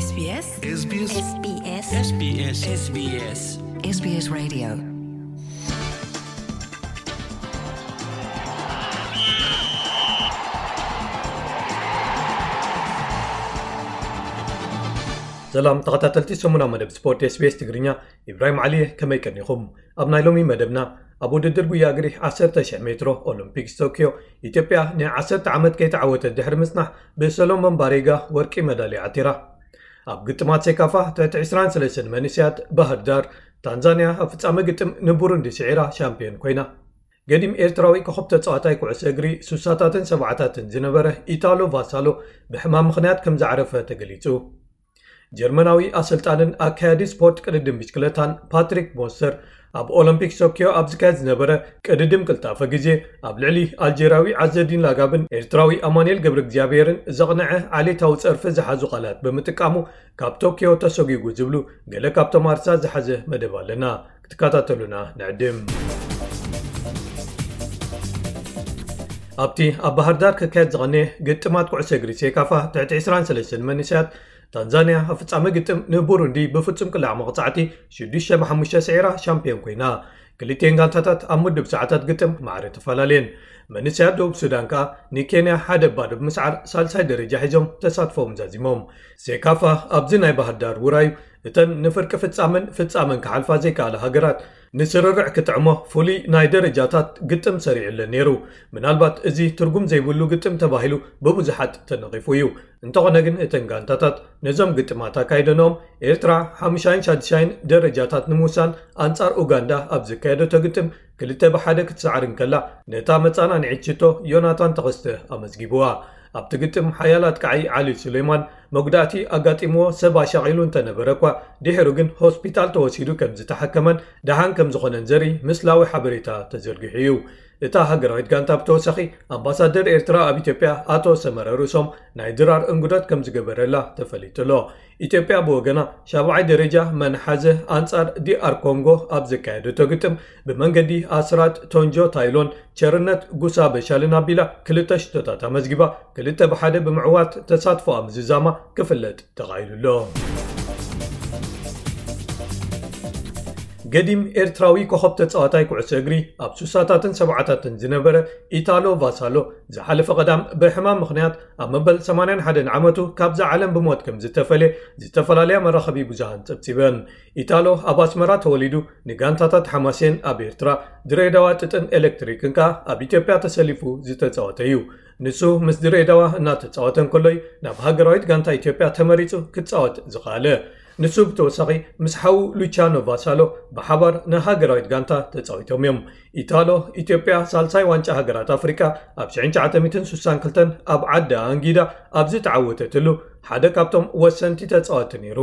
SBS SBS SBS SBS SBS SBS Radio. ሰላም ተኸታተልቲ ሰሙና መደብ ስፖርት SBS ትግርኛ፣ ኢብራሂም ዓሊ እየ። ከመይ ቀኒኹም? ኣብ ናይ ሎሚ መደብና፣ ኣብ ውድድር ጉያ እግሪ ዓሰርተ ሺሕ ሜትሮ ኦሎምፒክስ ቶክዮ፣ ኢትዮጵያ ን ዓሰርተ ዓመት ከይተዓወተት ድሕሪ ምጽናሕ፣ ብሰሎሞን ባሬጋ ወርቂ መዳልያ ዓቲራ። ኣብ ግጥማት ሴካፋ ትሕቲ ዕስራን ሰለስተን መንእሰያት፣ ባህር ዳር፣ ታንዛንያ ኣብ ፍጻመ ግጥም ንቡሩንዲ ስዒራ ሻምፒዮን ኮይና። ገዲም ኤርትራዊ ኮኸብ ተጻዋታይ ኩዕሶ እግሪ ሱሳታትን ሰብዓታትን ዝነበረ ኢታሎ ቫሳሎ ብሕማም ምኽንያት ከም ዝዓረፈ ተገሊጹ። ጀርመናዊ ኣሰልጣንን ኣካያዲ ስፖርት ቅድድም ብሽክለታን ፓትሪክ ሞስተር፣ ኣብ ኦሎምፒክ ቶክዮ ኣብ ዝካየድ ዝነበረ ቅድድም ቅልጣፈ ግዜ፣ ኣብ ልዕሊ ኣልጀርያዊ ዓዘዲን ላጋብን ኤርትራዊ ኣማኑኤል ገብረ እግዚኣብሔርን ዘቕንዐ ዓሌታዊ ጸርፊ ዝሓዙ ቃላት ብምጥቃሙ፣ ካብ ቶክዮ ተሰጒጉ ዝብሉ ገለ ካብቶም ኣርእስታት ዝሓዘ መደብ ኣለና። ክትከታተሉና ንዕድም። ኣብቲ ኣብ ባህር ዳር ክካየድ ዝቐነየ ግጥማት ኩዕሶ እግሪ ሴካፋ ትሕቲ ዕስራን ሰለስተን መንእሰያት፣ ታንዛንያ ኣብ ፍጻመ ግጥም ንቡሩንዲ ብፍጹም ቅላዕ መቕጻዕቲ ሽዱሽተ ብ ሓሙሽተ ስዒራ ሻምፒዮን ኮይና። ክልቲኤን ጋንታታት ኣብ ምዱብ ሰዓታት ግጥም ማዕረ ተፈላለየን። መንእሰያት ደቡብ ሱዳን ከኣ ንኬንያ ሓደ ባዶ ብምስዓር ሳልሳይ ደረጃ ሒዞም ተሳትፎም ዛዚሞም። ሴካፋ ኣብዚ ናይ ባህር ዳር ውራዩ እተን ንፍርቂ ፍጻመን ፍጻመን ክሓልፋ ዘይከኣላ ሃገራት ንስርርዕ ክጥዕሞ ፍሉይ ናይ ደረጃታት ግጥም ሰሪዑለን ነይሩ። ምናልባት እዚ ትርጉም ዘይብሉ ግጥም ተባሂሉ ብብዙሓት ተነቒፉ እዩ። እንተኾነ ግን እተን ጋንታታት ነዞም ግጥማት ኣካይደንኦም ኤርትራ ሓሙሻይን ሻድሻይን ደረጃታት ንምውሳን ኣንጻር ኡጋንዳ ኣብ ዘካየደቶ ግጥም ክልተ ብሓደ ክትሰዓር እንከላ፣ ነታ መጻናንዒት ሽቶ ዮናታን ተኸስተ ኣመዝጊብዋ። ኣብቲ ግጥም ሓያል ኣጥቃዒ ዓሊ ሱሌማን መጉዳእቲ ኣጋጢምዎ ሰብ ኣሻቒሉ እንተነበረ እኳ፣ ድሒሩ ግን ሆስፒታል ተወሲዱ ከም ዝተሓከመን ደሓን ከም ዝኾነን ዘርኢ ምስላዊ ሓበሬታ ተዘርጊሑ እዩ። እታ ሃገራዊት ጋንታ ብተወሳኺ፣ ኣምባሳደር ኤርትራ ኣብ ኢትዮጵያ ኣቶ ሰመረ ርእሶም ናይ ድራር እንግዶት ከም ዝገበረላ ተፈሊጡ ኣሎ። ኢትዮጵያ ብወገና ሻብዓይ ደረጃ መን ሓዘ ኣንጻር ዲኣር ኮንጎ ኣብ ዘካየደቶ ግጥም ብመንገዲ ኣስራት ቶንጆ ታይሎን ቸርነት ጉሳ በሻልን ኣቢላ ክልተ ሽቶታት ኣመዝጊባ ክልተ ብሓደ ብምዕዋት ተሳትፎኣ ምዝዛማ ክፍለጥ ተኻኢሉ ኣሎ። ገዲም ኤርትራዊ ኮኸብ ተጻዋታይ ኩዕሶ እግሪ ኣብ ሱሳታትን ሰብዓታትን ዝነበረ ኢታሎ ቫሳሎ ዝሓለፈ ቀዳም ብሕማም ምኽንያት ኣብ መበል ሰማንያን ሓደን ዓመቱ ካብዛ ዓለም ብሞት ከም ዝተፈልየ ዝተፈላለያ መራኸቢ ብዙሃን ጸብጺበን። ኢታሎ ኣብ ኣስመራ ተወሊዱ ንጋንታታት ሓማሴን ኣብ ኤርትራ፣ ድሬዳዋ ጥጥን ኤሌክትሪክን ከኣ ኣብ ኢትዮጵያ ተሰሊፉ ዝተጻወተ እዩ። ንሱ ምስ ድሬዳዋ እናተጻወተ እንከሎ እዩ ናብ ሃገራዊት ጋንታ ኢትዮጵያ ተመሪጹ ክጻወት ዝኸኣለ። ንሱ ብተወሳኺ ምስ ሓዉ ሉቻኖ ቫሳሎ ብሓባር ንሃገራዊት ጋንታ ተጻዊቶም እዮም። ኢታሎ፣ ኢትዮጵያ ሳልሳይ ዋንጫ ሃገራት ኣፍሪቃ ኣብ ሽሕን ትሽዓተ ሚእትን ስሳን ክልተን ኣብ ዓዳ ኣንጊዳ ኣብ ዝተዓወተትሉ ሓደ ካብቶም ወሰንቲ ተጻወቲ ነይሩ።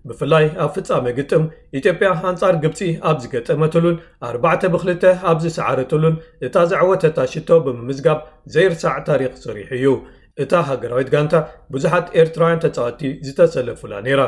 ብፍላይ ኣብ ፍጻመ ግጥም ኢትዮጵያ ኣንጻር ግብጺ ኣብ ዝገጠመትሉን ኣርባዕተ ብክልተ ኣብ ዝሰዓረትሉን እታ ዘዕወተታ ሽቶ ብምምዝጋብ ዘይርሳዕ ታሪኽ ሰሪሑ እዩ። እታ ሃገራዊት ጋንታ ብዙሓት ኤርትራውያን ተጻወትቲ ዝተሰለፉላ ነይራ።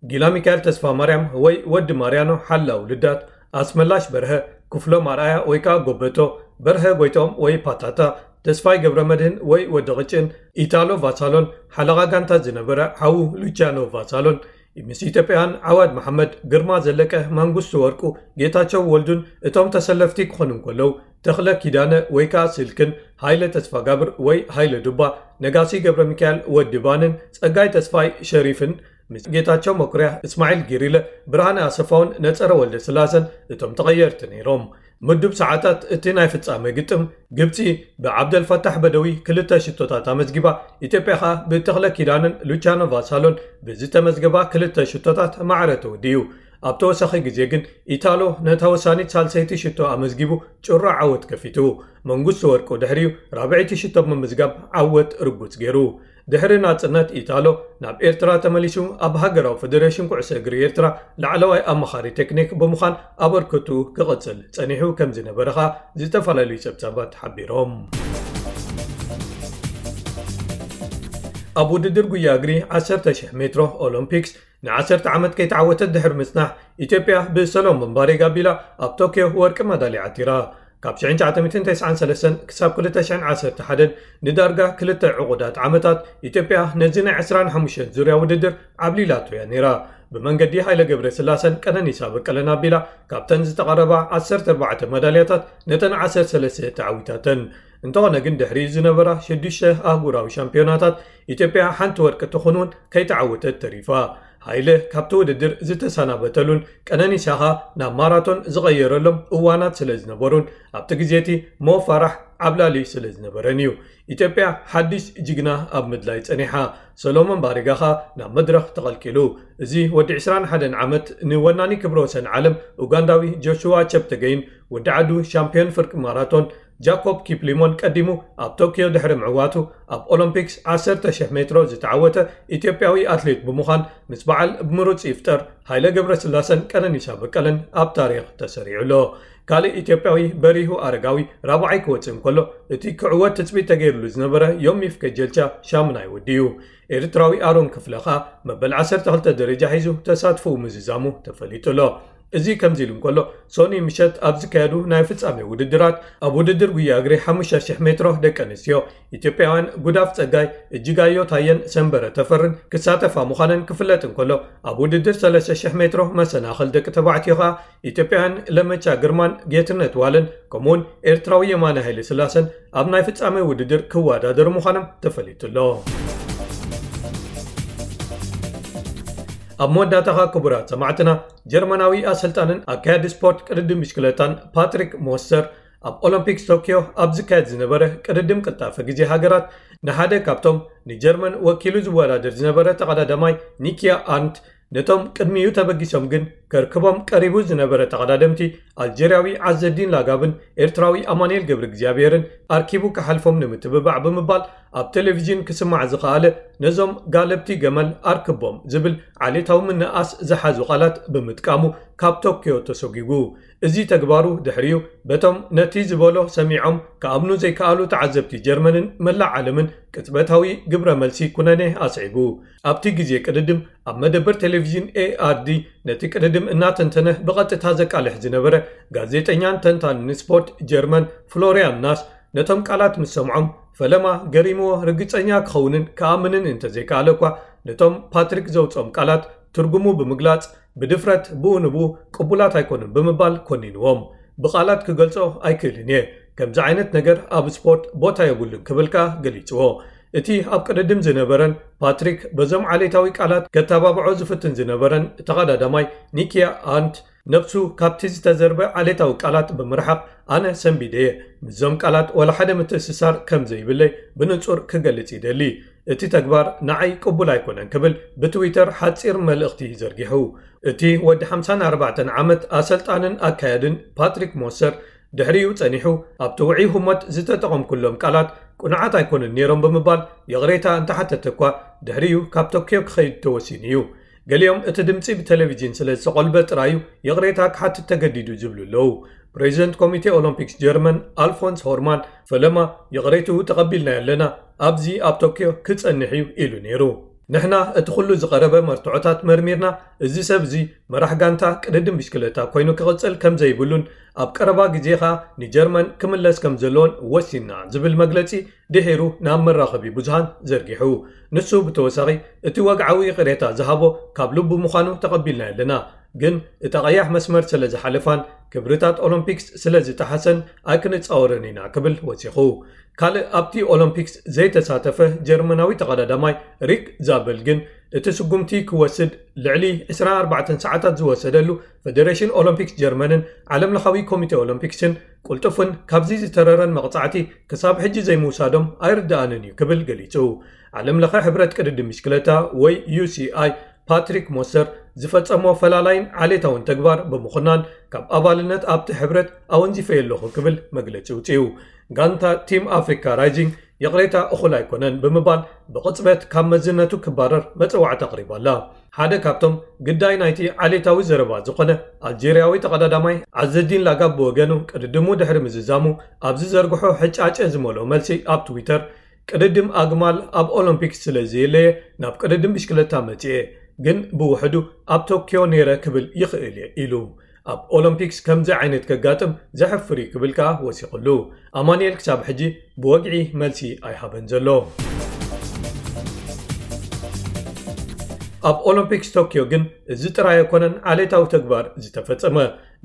ጊላ ሚካኤል ተስፋ ማርያም ወይ ወዲ ማርያኖ ሓላው ልዳት፣ ኣስመላሽ በርሀ፣ ክፍሎም ኣርኣያ ወይ ከኣ ጎበቶ፣ በርሀ ጎይትኦም ወይ ፓታታ፣ ተስፋይ ገብረ መድህን ወይ ወዲ ቅጭን፣ ኢታሎ ቫሳሎን ሓለቓ ጋንታ ዝነበረ ሓዉ ሉቺያኖ ቫሳሎን፣ ምስ ኢትዮጵያውያን ዓዋድ መሓመድ፣ ግርማ ዘለቀ፣ መንግስቱ ወርቁ፣ ጌታቸው ወልዱን እቶም ተሰለፍቲ ክኾኑ እንከለዉ፣ ተኽለ ኪዳነ ወይ ከኣ ስልክን፣ ሃይለ ተስፋጋብር ወይ ሃይለ ዱባ፣ ነጋሲ ገብረ ሚካኤል ወዲ ባንን፣ ጸጋይ ተስፋይ ሸሪፍን፣ ምስ ጌታቸው መኩርያ፣ እስማዒል ጊሪለ፣ ብርሃነ ኣሰፋውን ነጸረ ወልደ ስላሰን እቶም ተቐየርቲ ነይሮም። ምዱብ ሰዓታት እቲ ናይ ፍጻመ ግጥም፣ ግብጺ ብዓብደልፈታሕ በደዊ ክልተ ሽቶታት ኣመዝጊባ፣ ኢትዮጵያ ኸኣ ብተኽለ ኪዳንን ሉቻኖ ቫሳሎን ብዝተመዝገባ ክልተ ሽቶታት ማዕረ ተወዲኡ። ኣብ ተወሳኺ ግዜ ግን ኢታሎ ነታ ወሳኒት ሳልሰይቲ ሽቶ ኣመዝጊቡ ጭሮ ዓወት ከፊቱ። መንግስቱ ወርቁ ድሕሪኡ ራብዐይቲ ሽቶ ብምምዝጋብ ዓወት ርጉጽ ገይሩ። ድሕሪ ናጽነት ኢታሎ ናብ ኤርትራ ተመሊሱ ኣብ ሃገራዊ ፈደሬሽን ኩዕሶ እግሪ ኤርትራ ላዕለዋይ ኣማኻሪ ቴክኒክ ብምዃን ኣበርክቱ ክቕጽል ጸኒሑ ከም ዝነበረ ኸኣ ዝተፈላለዩ ጸብጻባት ሓቢሮም። ኣብ ውድድር ጉያ እግሪ ዓሰርተ ሺሕ ሜትሮ ኦሎምፒክስ ንዓሰርተ ዓመት ከይተዓወተት ድሕሪ ምጽናሕ፣ ኢትዮጵያ ብሰሎሞን ባሬጋ ኣቢላ ኣብ ቶክዮ ወርቂ መዳልያ ዓቲራ። ካብ ሽሕን ትሽዓተ ሚእትን ተስዓን ሰለስተን ክሳብ ክልተ ሽሕን ዓሰርተ ሓደን ንዳርጋ ክልተ ዕቑዳት ዓመታት ኢትዮጵያ ነዚ ናይ ዕስራን ሓሙሽተን ዙርያ ውድድር ዓብሊላቶ እያ ነይራ። ብመንገዲ ሃይለ ገብረ ስላሰን ቀነኒሳ በቀለን ኣቢላ ካብተን ዝተቐረባ ዓሰርተ ኣርባዕተ መዳልያታት ነተን ዓሰርተ ሰለስተ ተዓዊታተን። እንተኾነ ግን ድሕሪ ዝነበራ ሽዱሽተ ኣህጉራዊ ሻምፒዮናታት ኢትዮጵያ ሓንቲ ወርቂ ትኹን እውን ከይተዓወተት ተሪፋ። ሃይለ ካብቲ ውድድር ዝተሰናበተሉን ቀነኒሳ ኸኣ ናብ ማራቶን ዝቐየረሎም እዋናት ስለ ዝነበሩን ኣብቲ ግዜ እቲ ሞ ፋራሕ ዓብላሊ ስለ ዝነበረን እዩ። ኢትዮጵያ ሓድሽ ጅግና ኣብ ምድላይ ጸኒሓ። ሰሎሞን ባሪጋ ኸኣ ናብ መድረኽ ተቐልቂሉ። እዚ ወዲ ዕስራን ሓደን ዓመት ንወናኒ ክብረ ወሰን ዓለም ኡጋንዳዊ ጆሹዋ ቸፕተገይን ወዲ ዓዱ ሻምፒዮን ፍርቂ ማራቶን ጃኮብ ኪፕሊሞን ቀዲሙ ኣብ ቶክዮ ድሕሪ ምዕዋቱ ኣብ ኦሎምፒክስ ዓሰርተ ሽሕ ሜትሮ ዝተዓወተ ኢትዮጵያዊ ኣትሌት ብምዃን ምስ በዓል ብምሩጽ ይፍጠር፣ ሃይለ ገብረስላሰን ቀነኒሳ በቀለን ኣብ ታሪኽ ተሰሪዑ ኣሎ። ካልእ ኢትዮጵያዊ በሪሁ ኣረጋዊ ራብዓይ ክወጽእ እንከሎ እቲ ክዕወት ትጽቢት ተገይሩሉ ዝነበረ ዮሚፍ ከጀልቻ ሻምናይ ወዲኡ። ኤርትራዊ ኣሮን ክፍለ ኸኣ መበል ዓሰርተ ክልተ ደረጃ ሒዙ ተሳትፎኡ ምዝዛሙ ተፈሊጡ ኣሎ። እዚ ከምዚ ኢሉ እንከሎ ሶኒ ምሸት ኣብ ዝካየዱ ናይ ፍጻሜ ውድድራት ኣብ ውድድር ጉያ እግሪ ሓሙሽተ ሽሕ ሜትሮ ደቂ ኣንስትዮ ኢትዮጵያውያን ጉዳፍ ጸጋይ፣ እጅጋዮ ታየን ሰንበረ ተፈርን ክሳተፋ ምዃነን ክፍለጥ እንከሎ ኣብ ውድድር ሰለስተ ሽሕ ሜትሮ መሰናኽል ደቂ ተባዕትዮ ኸኣ ኢትዮጵያውያን ለመቻ ግርማን ጌትነት ዋለን ከምኡውን ኤርትራዊ የማነ ሃይለ ስላሰን ኣብ ናይ ፍጻሜ ውድድር ክወዳደሩ ምዃኖም ተፈሊጡ ኣሎ። ኣብ መወዳእታኻ ክቡራት ሰማዕትና፣ ጀርመናዊ ኣሰልጣንን ኣካያዲ ስፖርት ቅድድም ብሽክለታን ፓትሪክ ሞስተር ኣብ ኦሎምፒክስ ቶክዮ ኣብ ዝካየድ ዝነበረ ቅድድም ቅልጣፈ ግዜ ሃገራት ንሓደ ካብቶም ንጀርመን ወኪሉ ዝወዳደር ዝነበረ ተቐዳዳማይ ኒኪያ ኣርንት ነቶም ቅድሚኡ ተበጊሶም ግን ከርክቦም ቀሪቡ ዝነበረ ተቐዳደምቲ ኣልጀርያዊ ዓዘዲን ላጋብን ኤርትራዊ ኣማኑኤል ገብረ እግዚኣብሔርን ኣርኪቡ ክሓልፎም ንምትብባዕ ብምባል ኣብ ቴሌቪዥን ክስማዕ ዝኸኣለ ነዞም ጋለብቲ ገመል ኣርክቦም ዝብል ዓሌታዊ ምንኣስ ዝሓዙ ቃላት ብምጥቃሙ ካብ ቶክዮ ተሰጒጉ። እዚ ተግባሩ ድሕሪኡ በቶም ነቲ ዝበሎ ሰሚዖም ክኣምኑ ዘይከኣሉ ተዓዘብቲ ጀርመንን መላእ ዓለምን ቅጽበታዊ ግብረ መልሲ ኩነኔ ኣስዒቡ። ኣብቲ ግዜ ቅድድም ኣብ መደበር ቴሌቪዥን ኤኣርዲ ነቲ ቅድድም እናተንተነ ብቐጥታ ዘቃልሕ ዝነበረ ጋዜጠኛን ተንታንን ስፖርት ጀርመን ፍሎሪያን ናስ ነቶም ቃላት ምስ ሰምዖም ፈለማ ገሪምዎ ርግጸኛ ክኸውንን ክኣምንን እንተዘይከኣለ እኳ ነቶም ፓትሪክ ዘውጽኦም ቃላት ትርጉሙ ብምግላጽ ብድፍረት ብኡ ንብኡ ቅቡላት ኣይኮኑን ብምባል ኮኒንዎም። ብቓላት ክገልጾ ኣይክእልን እየ። ከምዚ ዓይነት ነገር ኣብ ስፖርት ቦታ የብሉን ክብል ከኣ ገሊጽዎ። እቲ ኣብ ቅድድም ዝነበረን ፓትሪክ በዞም ዓሌታዊ ቃላት ከተባብዖ ዝፍትን ዝነበረን ተቐዳዳማይ ኒኪያ ኣርንት ነብሱ ካብቲ ዝተዘርበ ዓሌታዊ ቃላት ብምርሓቕ ኣነ ሰንቢደ እየ። ምስዞም ቃላት ዋላ ሓደ ምትእስሳር ከም ዘይብለይ ብንጹር ክገልጽ ይደሊ። እቲ ተግባር ንዓይ ቅቡል ኣይኮነን ክብል ብትዊተር ሓጺር መልእኽቲ ዘርጊሑ። እቲ ወዲ ሓምሳን ኣርባዕተን ዓመት ኣሰልጣንን ኣካያድን ፓትሪክ ሞሰር ድሕሪኡ ጸኒሑ ኣብቲ ውዑይ ህሞት ዝተጠቐምኩሎም ቃላት ቅኑዓት ኣይኮኑን ነይሮም ብምባል ይቕሬታ እንተሓተተ እኳ ድሕሪኡ ካብ ቶክዮ ክኸይድ ተወሲኑ እዩ። ገሊኦም እቲ ድምጺ ብቴሌቪዥን ስለ ዝተቖልበ ጥራዩ ይቕሬታ ክሓትት ተገዲዱ ዝብሉ ኣለዉ። ፕሬዚደንት ኮሚቴ ኦሎምፒክስ ጀርመን ኣልፎንስ ሆርማን ፈለማ ይቕሬትኡ ተቐቢልናዮ ኣለና፣ ኣብዚ ኣብ ቶክዮ ክጸንሕ እዩ ኢሉ ነይሩ። ንሕና እቲ ኩሉ ዝቐረበ መርትዖታት መርሚርና፣ እዚ ሰብ እዚ መራሕ ጋንታ ቅድድም ብሽክለታ ኮይኑ ክቕጽል ከም ዘይብሉን ኣብ ቀረባ ግዜ ኸኣ ንጀርመን ክምለስ ከም ዘለዎን ወሲንና ዝብል መግለጺ ድሒሩ ናብ መራኸቢ ብዙሃን ዘርጊሑ። ንሱ ብተወሳኺ እቲ ወግዓዊ ይቕሬታ ዝሃቦ ካብ ልቡ ምዃኑ ተቐቢልናዮ ኣለና፣ ግን እታ ቀያሕ መስመር ስለ ዝሓለፋን ክብርታት ኦሎምፒክስ ስለ ዝጠሓሰን ኣይክንጻወርን ኢና ክብል ወሲኹ። ካልእ ኣብቲ ኦሎምፒክስ ዘይተሳተፈ ጀርመናዊ ተቐዳዳማይ ሪክ ዛበል ግን እቲ ስጉምቲ ክወስድ ልዕሊ ዕስራን ኣርባዕተን ሰዓታት ዝወሰደሉ ፈደሬሽን ኦሎምፒክስ ጀርመንን ዓለምለኻዊ ኮሚቴ ኦሎምፒክስን ቅልጡፍን ካብዚ ዝተረረን መቕጻዕቲ ክሳብ ሕጂ ዘይምውሳዶም ኣይርድኣንን እዩ ክብል ገሊጹ። ዓለምለኸ ሕብረት ቅድድም ብሽክለታ ወይ ዩ ሲ ኣይ ፓትሪክ ሞሰር ዝፈጸሞ ፈላላይን ዓሌታውን ተግባር ብምኹናን ካብ ኣባልነት ኣብቲ ሕብረት ኣወንዚፈዮ ኣለኹ ክብል መግለጺ ውጽኡ። ጋንታ ቲም ኣፍሪካ ራይዚንግ ይቕሬታ እኹል ኣይኮነን ብምባል ብቕጽበት ካብ መዝነቱ ክባረር መጸዋዕታ ኣቕሪባ ኣላ። ሓደ ካብቶም ግዳይ ናይቲ ዓሌታዊ ዘረባ ዝኾነ ኣልጀርያዊ ተቐዳዳማይ ዓዘዲን ላጋብ ብወገኑ ቅድድሙ ድሕሪ ምዝዛሙ ኣብ ዝዘርግሖ ሕጫጨ ዝመልኦ መልሲ ኣብ ትዊተር ቅድድም ኣግማል ኣብ ኦሎምፒክስ ስለ ዘየለየ ናብ ቅድድም ብሽክለታ መጺኤ፣ ግን ብውሕዱ ኣብ ቶክዮ ነይረ ክብል ይኽእል እየ ኢሉ። ኣብ ኦሎምፒክስ ከምዚ ዓይነት ከጋጥም ዘሕፍር እዩ ክብል ከኣ ወሲኹሉ። ኣማኑኤል ክሳብ ሕጂ ብወግዒ መልሲ ኣይሃበን ዘሎ። ኣብ ኦሎምፒክስ ቶኪዮ ግን እዚ ጥራይ ኣይኮነን ዓሌታዊ ተግባር ዝተፈጸመ።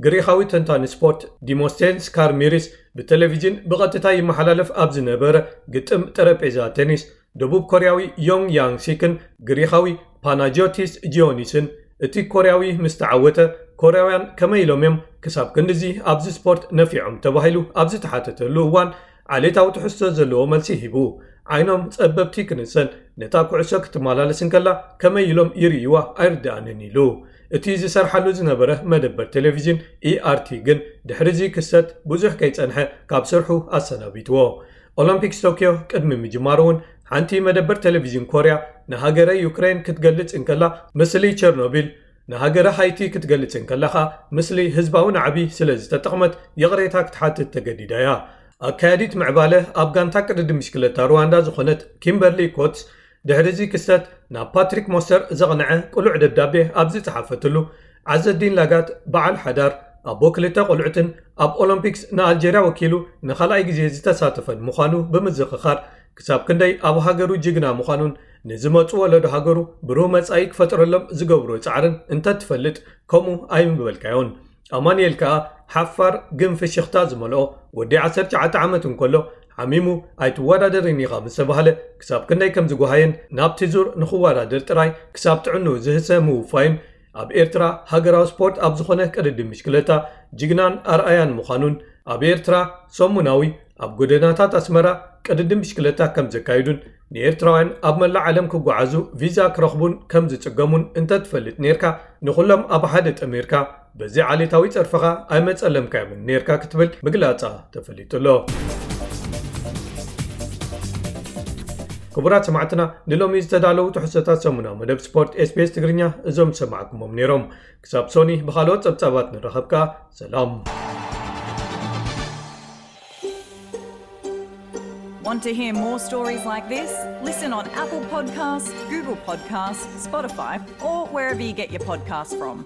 ግሪኻዊ ተንታኒ ስፖርት ዲሞስቴንስ ካርሚሪስ ብቴሌቪዥን ብቐጥታ ይመሓላለፍ ኣብ ዝነበረ ግጥም ጠረጴዛ ቴኒስ፣ ደቡብ ኮርያዊ ዮንግ ያንግ ሲክን ግሪኻዊ ፓናጂዮቲስ ጂዮኒስን፣ እቲ ኮርያዊ ምስ ተዓወተ፣ ኮርያውያን ከመይ ኢሎም እዮም ክሳብ ክንድዚ ኣብዚ ስፖርት ነፊዖም ተባሂሉ ኣብ ዝተሓተተሉ እዋን፣ ዓሌታዊ ትሕዝቶ ዘለዎ መልሲ ሂቡ። ዓይኖም ጸበብቲ ክንሰን፣ ነታ ኩዕሶ ክትመላለስ እንከላ ከመይ ኢሎም ይርእይዋ ኣይርድኣንን ኢሉ። እቲ ዝሰርሓሉ ዝነበረ መደበር ቴሌቪዥን ኢኣርቲ ግን ድሕሪ እዚ ክስተት ብዙሕ ከይጸንሐ ካብ ስርሑ ኣሰናቢትዎ። ኦሎምፒክስ ቶኪዮ ቅድሚ ምጅማሩ እውን ሓንቲ መደበር ቴሌቪዥን ኮርያ ንሃገረ ዩክሬን ክትገልጽ እንከላ ምስሊ ቸርኖቢል፣ ንሃገረ ሃይቲ ክትገልጽ እንከላ ኸኣ ምስሊ ህዝባዊ ናዕቢ ስለ ዝተጠቕመት ይቕሬታ ክትሓትት ተገዲዳ እያ። ኣካያዲት ምዕባለ ኣብ ጋንታ ቅድድም ብሽክለታ ሩዋንዳ ዝኾነት ኪምበርሊ ኮትስ ድሕሪ እዚ ክስተት ናብ ፓትሪክ ሞስተር ዘቕንዐ ቅሉዕ ደብዳቤ ኣብ ዝጸሓፈትሉ፣ ዓዘዲን ላጋት በዓል ሓዳር ኣቦ ክልተ ቆልዑትን ኣብ ኦሎምፒክስ ንኣልጀርያ ወኪሉ ንኻልኣይ ግዜ ዝተሳተፈን ምዃኑ ብምዝኽኻር፣ ክሳብ ክንደይ ኣብ ሃገሩ ጅግና ምዃኑን ንዝመጹ ወለዶ ሃገሩ ብሩህ መጻኢ ክፈጥረሎም ዝገብሮ ጻዕርን እንተትፈልጥ ከምኡ ኣይምበልካዮን። ኣማኑኤል ከኣ ሓፋር ግን ፍሽኽታ ዝመልኦ ወዲ ዓሰርተ ትሽዓተ ዓመት እንከሎ ሓሚሙ ኣይትወዳደርን ኢኻ ምስ ተባህለ ክሳብ ክንደይ ከም ዝጓሃየን ናብቲ ዙር ንኽወዳደር ጥራይ ክሳብ ጥዕንኡ ዝህሰ ምውፋይን ኣብ ኤርትራ ሃገራዊ ስፖርት ኣብ ዝኾነ ቅድድም ብሽክለታ ጅግናን ኣርኣያን ምዃኑን ኣብ ኤርትራ ሰሙናዊ ኣብ ጎደናታት ኣስመራ ቅድድም ብሽክለታ ከም ዘካይዱን ንኤርትራውያን ኣብ መላእ ዓለም ክጓዓዙ ቪዛ ክረኽቡን ከም ዝጽገሙን እንተትፈልጥ ኔርካ ንኹሎም ኣብ ሓደ ጠሚርካ በዚ ዓሌታዊ ጸርፍኻ ኣይመጸለምካዮምን ኔርካ ክትብል ምግላጻ ተፈሊጡ ኣሎ። ክቡራት ሰማዕትና ንሎሚ ዝተዳለዉ ትሕዝቶታት ሰሙናዊ መደብ ስፖርት ኤስቢኤስ ትግርኛ እዞም ዝሰማዕኩሞም ነይሮም። ክሳብ ሶኒ ብኻልኦት ጸብጻባት ንራኸብ ከኣ ሰላም። Want to hear more stories like this? Listen on Apple Podcasts, Google Podcasts, Spotify, or wherever you get your podcasts from.